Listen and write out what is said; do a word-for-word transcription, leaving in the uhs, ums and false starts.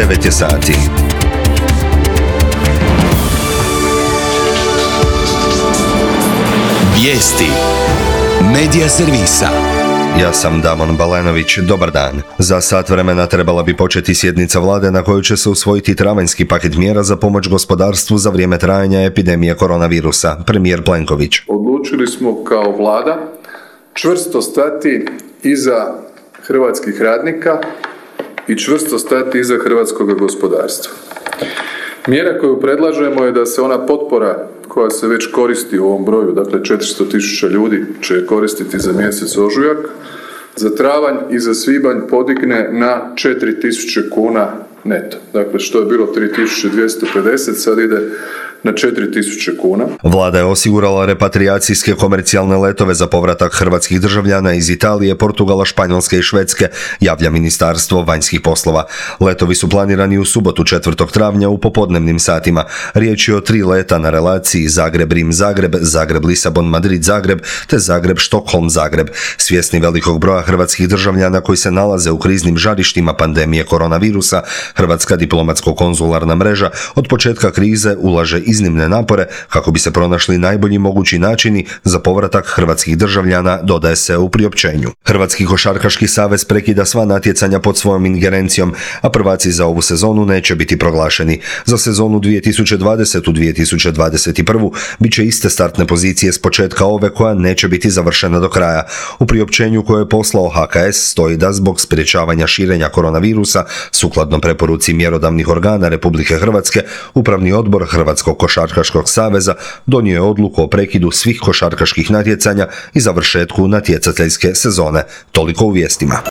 devet je sati. Vijesti Medija servisa. Ja sam Damon Balenović, dobar dan. Za sat vremena trebala bi početi sjednica vlade na kojoj će se usvojiti travanjski paket mjera za pomoć gospodarstvu za vrijeme trajanja epidemije koronavirusa. Premijer Plenković. Odlučili smo kao vlada čvrsto stati iza hrvatskih radnika i čvrsto stati iza hrvatskog gospodarstva. Mjera koju predlažemo je da se ona potpora koja se već koristi u ovom broju, dakle četiristo tisuća ljudi će je koristiti za mjesec ožujak, za travanj i za svibanj podigne na četiri tisuće kuna neto. Dakle, što je bilo tri tisuće dvjesto pedeset, sad ide na četiri tisuće kuna. Vlada je osigurala repatrijacijske komercijalne letove za povratak hrvatskih državljana iz Italije, Portugala, Španjolske i Švedske, javlja Ministarstvo vanjskih poslova. Letovi su planirani u subotu četvrtog travnja u popodnevnim satima. Riječ je o tri leta na relaciji Zagreb-Rim-Zagreb, Zagreb-Lisabon-Madrid-Zagreb te Zagreb-Štokholm-Zagreb. Svjesni velikog broja hrvatskih državljana koji se nalaze u kriznim žarištima pandemije koronavirusa, Hrvatska diplomatsko-konzularna mreža od početka krize ulaže iznimne napore kako bi se pronašli najbolji mogući načini za povratak hrvatskih državljana, dodaje se u priopćenju. Hrvatski košarkaški savez prekida sva natjecanja pod svojom ingerencijom, a prvaci za ovu sezonu neće biti proglašeni. Za sezonu dvije tisuće dvadesete dvije tisuće dvadeset prve bit će iste startne pozicije s početka ove koja neće biti završena do kraja. U priopćenju koje je poslao H K S stoji da zbog sprječavanja širenja koronavirusa, sukladno preporuci mjerodavnih organa Republike Hrvatske, Upravni odbor Hrvatskog košarkaškog saveza donio je odluku o prekidu svih košarkaških natjecanja i završetku natjecateljske sezone. Toliko u vijestima.